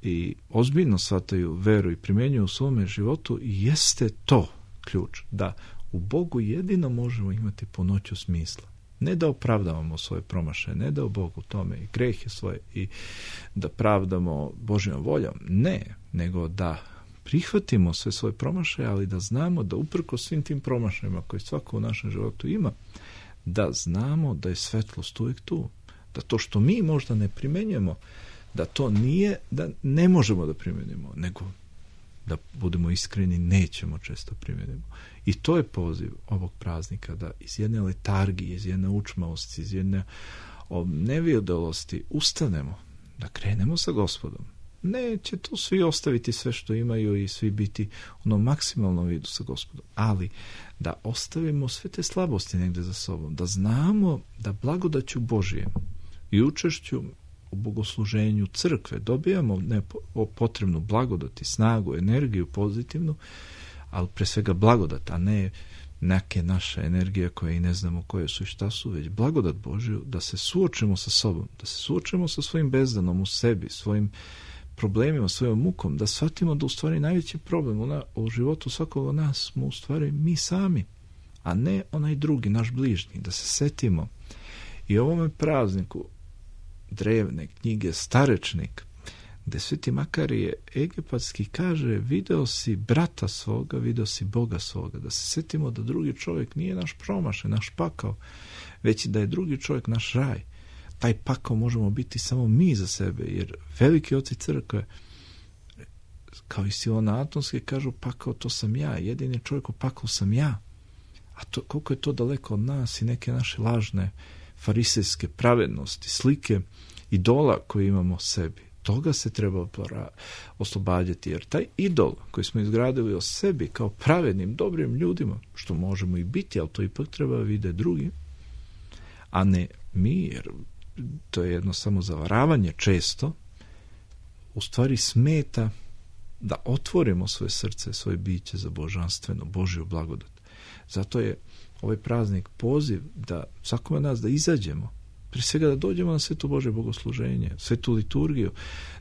i ozbiljno shvataju veru i primjenjuju u svome životu, jeste to ključ, da u Bogu jedino možemo imati punoću smisla. Ne da opravdavamo svoje promašaje, ne da u Bogu tome i grehe svoje i da pravdamo Božjom voljom, ne, nego da prihvatimo sve svoje promašaje, ali da znamo da uprkos svim tim promašajima koje svako u našem životu ima, da znamo da je svetlost uvijek tu. Da to što mi možda ne primenjujemo, da to nije da ne možemo da primenimo, nego da budemo iskreni, nećemo često primenimo. I to je poziv ovog praznika, da iz jedne letargije, iz jedne učmavosti, iz jedne nevijedosti ustanemo, da krenemo sa Gospodom. Neće to svi ostaviti sve što imaju i svi biti u onom maksimalnom vidu sa Gospodom, ali da ostavimo sve te slabosti negdje za sobom, da znamo da blagodaću Božije i učešću u bogosluženju crkve dobijamo potrebnu blagodat i snagu, energiju pozitivnu, ali pre svega blagodat, a ne neke naše energije koje i ne znamo koje su i šta su, već blagodat Božju, da se suočimo sa sobom, da se suočimo sa svojim bezdanom u sebi, svojim problemima, svojom mukom, da shvatimo da u stvari najveći problem u životu svakog od nas smo u stvari mi sami, a ne onaj drugi, naš bližnji, da se setimo i ovome prazniku drevne knjige Starečnik, gde Sveti Makarije egipatski kaže: video si brata svoga, video si Boga svoga, da se setimo da drugi čovjek nije naš promašaj, naš pakao, već da je drugi čovjek naš raj. Taj pakao možemo biti samo mi za sebe, jer veliki oci crkve, kao i Silona Atonski, kažu: pakao to sam ja, jedini čovjek u pakao sam ja. A to, koliko je to daleko od nas i neke naše lažne farisejske pravednosti, slike idola koje imamo o sebi. Toga se treba oslobađati, jer taj idol koji smo izgradili o sebi kao pravednim, dobrim ljudima, što možemo i biti, ali to ipak treba vide drugi, a ne mi, jer to je jedno samo zavaravanje često, u stvari smeta da otvorimo svoje srce, svoje biće za božanstveno, Božju blagodat. Zato je ovaj praznik poziv da svakome nas da izađemo, prije svega da dođemo na sveto Božje bogosluženje, svetu liturgiju,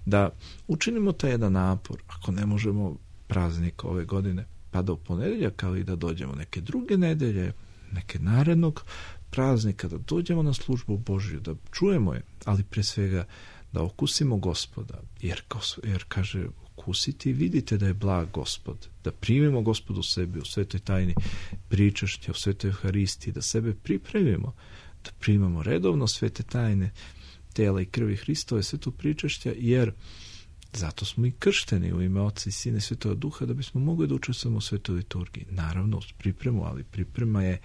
da učinimo taj jedan napor, ako ne možemo praznik ove godine, pa da u ponedjeljak, ali da dođemo neke druge nedelje, neke narednog praznika, da dođemo na službu Božju, da čujemo je, ali prije svega da okusimo Gospoda, jer kaže: okusite i vidite da je blag Gospod, da primimo Gospodu u sebi u svetoj tajni pričašća, u svetoj Euharistiji, da sebe pripremimo, da primamo redovno svete tajne tela i krvi Hristove, sveto pričašća, jer zato smo i kršteni u ime Oca i Sina i Svetoga Duha, da bismo mogli da učestvujemo u svetoj liturgiji. Naravno, uz pripremu, ali priprema je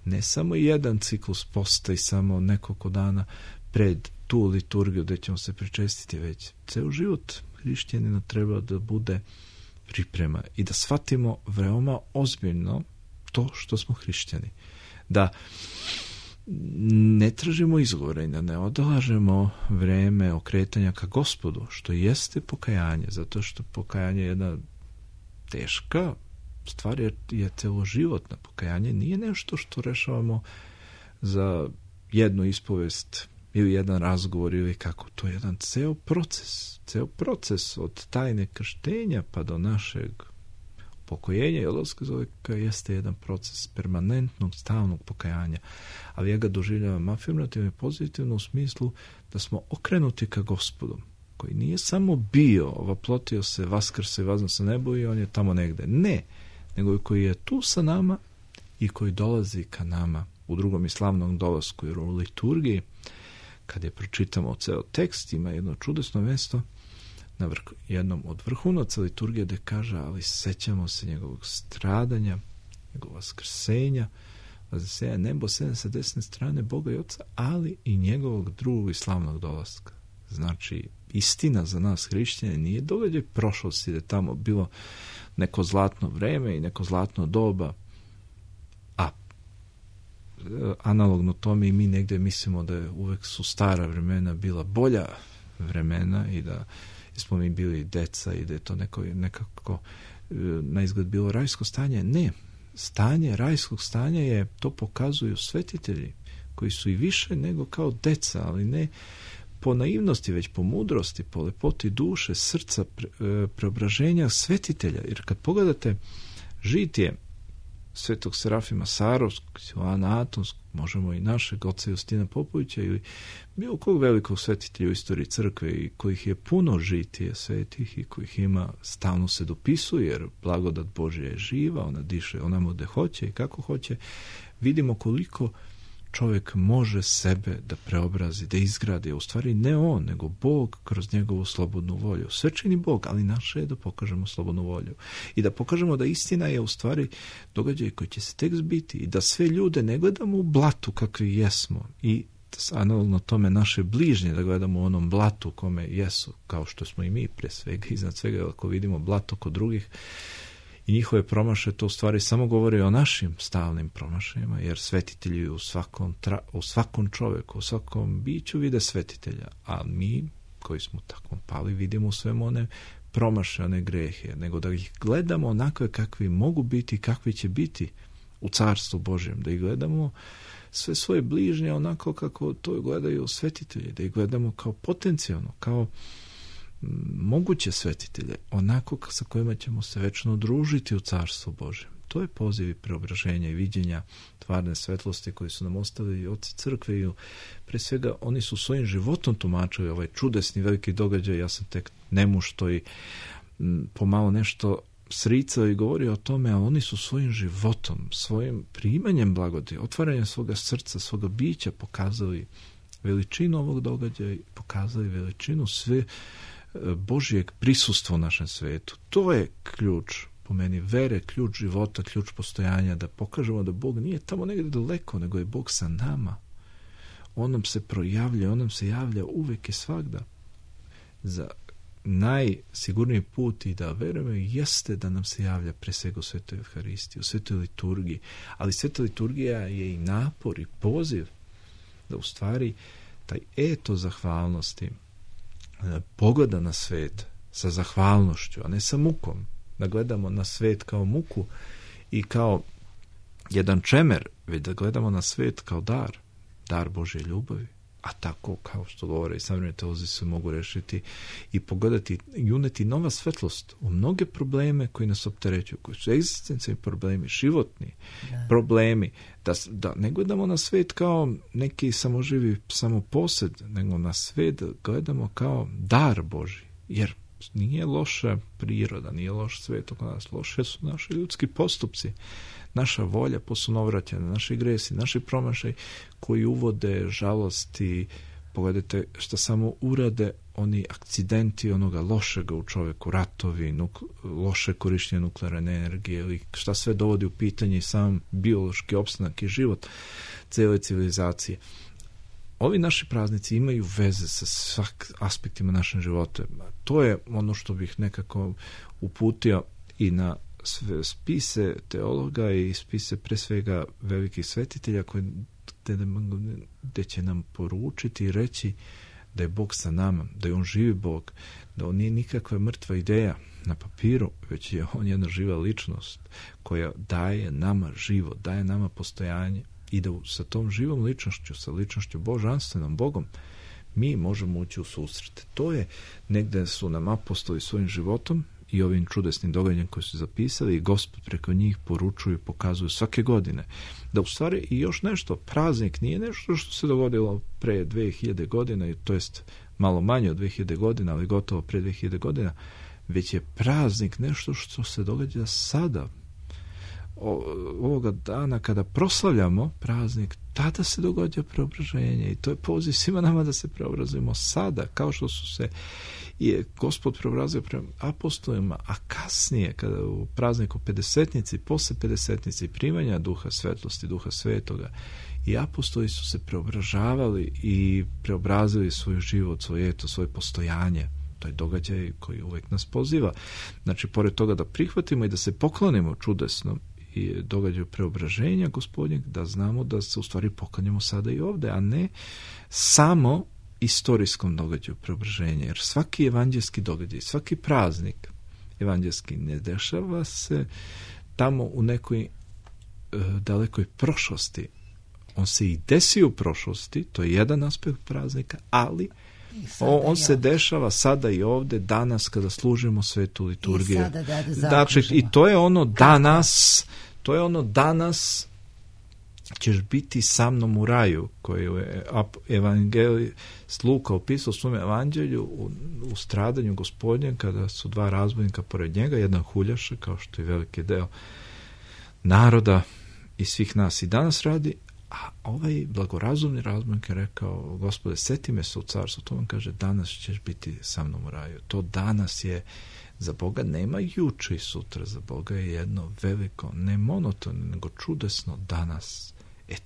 ne samo jedan ciklus posta i samo nekoliko dana pred tu liturgiju gdje ćemo se pričestiti, već ceo život hrišćanina treba da bude priprema i da shvatimo veoma ozbiljno to što smo hrišćani. Da ne tražimo izgovore i da ne odlažemo vreme okretanja ka Gospodu, što jeste pokajanje, zato što pokajanje je jedna teška stvar, je celoživotna. Pokajanje nije nešto što rešavamo za jednu ispovest ili jedan razgovor ili kako. To je jedan ceo proces od tajne krštenja pa do našeg pokojenja i odlaska iz oveka jeste jedan proces permanentnog, stalnog pokajanja. Ali ja ga doživljavam afirmativno i pozitivno u smislu da smo okrenuti ka Gospodu, koji nije samo bio, ovaplotio se, vaskrse, vazno sa nebo i on je tamo negde. Ne, nego koji je tu sa nama i koji dolazi ka nama u drugom i slavnom dolasku, jer u liturgiji, kad je pročitamo ceo tekst, ima jedno čudesno mesto na jednom od vrhunaca liturgije gde kaže, ali sećamo se njegovog stradanja, njegovog vaskrsenja, vaznesenja nebo sa desne strane Boga i Oca, ali i njegovog drugog i slavnog dolaska. Znači, istina za nas hrišćane nije događaj prošlosti, da je tamo bilo neko zlatno vreme i neko zlatno doba, a analogno tome i mi negde mislimo da je uvek su stara vremena bila bolja vremena i da smo mi bili deca i da je to nekako na izgled bilo rajsko stanje. Ne, stanje rajskog stanja je, to pokazuju svetitelji koji su i više nego kao deca, ali ne po naivnosti, već po mudrosti, po lepoti duše, srca, preobraženja svetitelja. Jer kad pogledate žitije svetog Serafima Sarovskog, Silvana Atonskog, možemo i našeg oca Justina Popovića ili bilo kog velikog svetitelja u istoriji crkve i kojih je puno žitije svetih i kojih ima, stalno se dopisuje, jer blagodat Božja je živa, ona diše onamo gde hoće i kako hoće. Vidimo koliko čovjek može sebe da preobrazi, da izgradi, u stvari ne on, nego Bog kroz njegovu slobodnu volju. Sve čini Bog, ali naše je da pokažemo slobodnu volju. I da pokažemo da istina je u stvari događaj koji će se tek zbiti i da sve ljude ne gledamo u blatu kakvi jesmo i analogno tome naše bližnje da gledamo u onom blatu kome jesu, kao što smo i mi pre svega, iznad svega ako vidimo blato kod drugih i njihove promašaje, to u stvari samo govori o našim stalnim promašajima, jer svetitelji u svakom čoveku, u svakom biću vide svetitelja, a mi koji smo tako pali vidimo u svemu one promašaje, one grehe, nego da ih gledamo onakve kakvi mogu biti, kakvi će biti u Carstvu Božjem, da ih gledamo sve svoje bližnje onako kako to gledaju svetitelji, da ih gledamo kao potencijalno, kao moguće svetitelje, onako sa kojima ćemo se večno družiti u Carstvu Božjem. To je poziv i preobraženja i viđenja tvarne svetlosti koji su nam ostavili oci crkve i pre svega oni su svojim životom tumačili ovaj čudesni veliki događaj. Ja sam tek nemušto i pomalo nešto sricao i govorio o tome, a oni su svojim životom, svojim primanjem blagodi, otvaranjem svoga srca, svoga bića pokazali veličinu ovog događaja i pokazali veličinu sve Božijeg prisustva u našem svetu. To je ključ, po meni, vere, ključ života, ključ postojanja, da pokažemo da Bog nije tamo negdje daleko, nego je Bog sa nama. On nam se projavlja, on nam se javlja uvek i svagda. Za najsigurniji put i da verujemo jeste da nam se javlja pre svega u Svetoj Evharistiji, u Svetoj liturgiji, ali Sveta liturgija je i napor i poziv da u stvari taj eto zahvalnosti pogleda na svet sa zahvalnošću, a ne sa mukom, da gledamo na svet kao muku i kao jedan čemer, već da gledamo na svet kao dar Božje ljubavi, a tako kao što govore i savremeni teolozi se mogu rešiti i pogledati i uneti nova svetlost u mnoge probleme koji nas opterećuju, koji su egzistencijalni problemi, životni problemi, da ne gledamo na svet kao neki samoživi samoposed, nego na svet gledamo kao dar Božji, jer nije loša priroda, nije loš svet oko nas, loše su naši ljudski postupci, naša volja posunovraćena, naši gresi, naši promašaj koji uvode žalosti. Pogledajte što samo urade oni akcidenti onoga lošega u čoveku, ratovi, loše korištenje nuklearne energije ili šta sve dovodi u pitanje sam biološki opstanak i život cele civilizacije. Ovi naši praznici imaju veze sa svak aspektima našeg života. To je ono što bih nekako uputio i na spise teologa i spise pre svega velikih svetitelja koji gdje će nam poručiti i reći da je Bog sa nama, da je on živi Bog, da on nije nikakva mrtva ideja na papiru, već je on jedna živa ličnost koja daje nama život, daje nama postojanje i da sa tom živom ličnošću, sa ličnošću božanstvenom Bogom, mi možemo ući u susret. To je negdje su nam apostoli svojim životom i ovim čudesnim događajem koji su zapisali i Gospod preko njih poručuju i pokazuju svake godine. Da u stvari i još nešto, praznik nije nešto što se dogodilo pre 2000 godina, to jest malo manje od 2000 godina, ali gotovo pre 2000 godina, već je praznik nešto što se događa sada. Ovoga dana kada proslavljamo praznik, tada se događa preobraženje i to je poziv svima nama da se preobrazujemo sada, kao što su se i Gospod preobrazio prema apostolima, a kasnije kada u prazniku Pedesetnici, posle Pedesetnici primanja Duha svetlosti, Duha svetoga, i apostoli su se preobražavali i preobrazili svoj život, svoje eto, svoje postojanje. To je događaj koji uvijek nas poziva. Znači, pored toga da prihvatimo i da se poklonimo čudesnom i događaju preobraženja Gospodnjeg, da znamo da se u stvari poklanjamo sada i ovdje, a ne samo istorijskom događaju preobraženja. Jer svaki evanđelski događaj, svaki praznik evanđelski ne dešava se tamo u nekoj dalekoj prošlosti. On se i desi u prošlosti, to je jedan aspekt praznika, ali on se dešava sada i ovdje, danas kada služimo svetu liturgiju. Znači, i to je ono danas ćeš biti sa mnom u raju, koju je evangelist Luka opisao u svom evanđelju u stradanju Gospodnjem, kada su dva razbojnika pored njega, jedan huljaša, kao što je veliki deo naroda i svih nas i danas radi, a ovaj blagorazumni razbojnik je rekao: Gospode, seti me se u carstvu. To on kaže: danas ćeš biti sa mnom u raju. To danas je za Boga, nema juče i sutra, za Boga je jedno veliko, ne monotono, nego čudesno danas.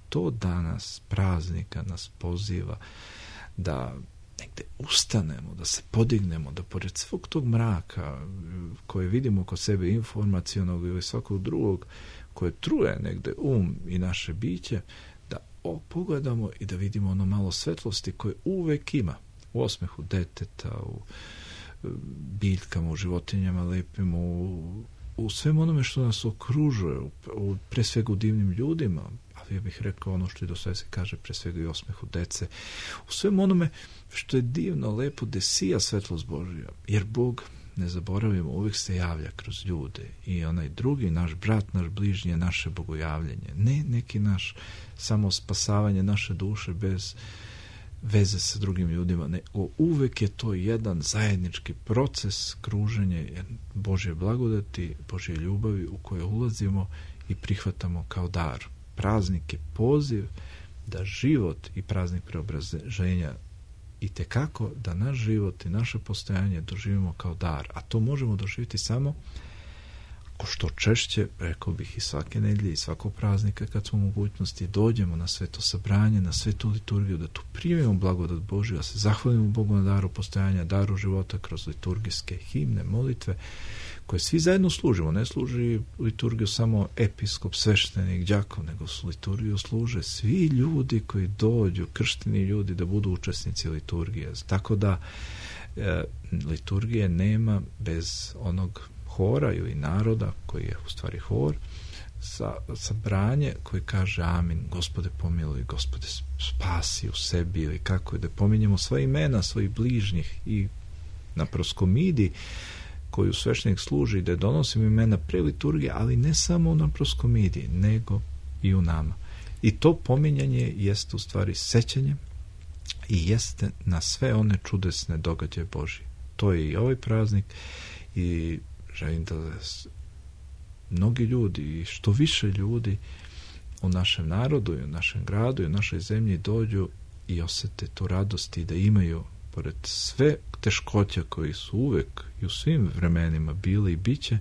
To danas praznika nas poziva da negdje ustanemo, da se podignemo, da pored svog tog mraka koje vidimo kod sebe, informacionog ili svakog drugog, koje truje negdje i naše biće, da pogledamo i da vidimo ono malo svetlosti koje uvek ima u osmehu deteta, u biljkama, u životinjama lepim, u svem onome što nas okružuje, pre svega u divnim ljudima, ali ja bih rekao ono što i do sve se kaže, pre svega i osmehu dece, u svem onome što je divno, lepo, gde sija svetlost Božja, jer Bog, ne zaboravimo, uvijek se javlja kroz ljude i onaj drugi, naš brat, naš bližnji je naše bogojavljenje, ne neki naš samo spasavanje naše duše bez veze sa drugim ljudima, ne, uvek je to jedan zajednički proces kruženja Božje blagodati, Božje ljubavi u koje ulazimo i prihvatamo kao dar. Praznik je poziv da život i praznik preobraženja i tekako da naš život i naše postojanje doživimo kao dar, a to možemo doživjeti samo ko što češće, rekao bih i svake nedelje i svakog praznika kad smo u mogućnosti dođemo na sveto sabranje, na svetu liturgiju, da tu primimo blagodat Božju, da se zahvalimo Bogu na daru postojanja, daru života kroz liturgijske himne, molitve koje svi zajedno služimo. Ne služi liturgiju samo episkop, sveštenik, đakon, nego su liturgiju služe svi ljudi koji dođu, kršteni ljudi, da budu učesnici liturgije. Tako da liturgije nema bez onog hora ili naroda, koji je u stvari hor, sabranje koji kaže amin, Gospode pomiluj, Gospode spasi u sebi, ili kako je, da pominjemo sva imena svojih bližnjih i na proskomidi koju sveštenik služi, da donosimo imena pre liturgije, ali ne samo na proskomidi, nego i u nama. I to pominjanje jeste u stvari sećanje i jeste na sve one čudesne događaje Božje. To je i ovaj praznik i želim da mnogi ljudi i što više ljudi u našem narodu i u našem gradu i u našoj zemlji dođu i osete tu radost i da imaju, pored sve teškoća koji su uvek i u svim vremenima bili i biće,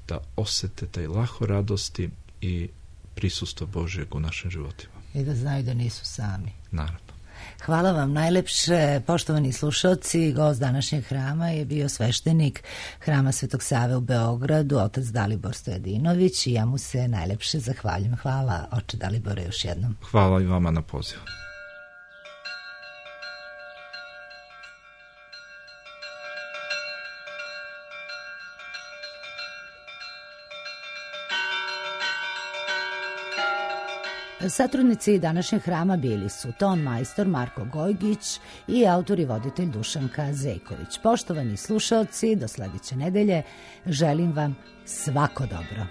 da osete taj lahko radosti i prisustvo Božjeg u našim životima. I da znaju da nisu sami. Naravno. Hvala vam najlepše, poštovani slušalci. Gost današnjeg hrama je bio sveštenik Hrama Svetog Save u Beogradu, otac Dalibor Stojadinović, i ja mu se najlepše zahvaljujem. Hvala, oče Dalibore, još jednom. Hvala i vama na pozivu. Satrudnici današnjeg hrama bili su ton majstor Marko Gojgić i autor i voditelj Dušanka Zejković. Poštovani slušalci, do sledeće nedelje želim vam svako dobro.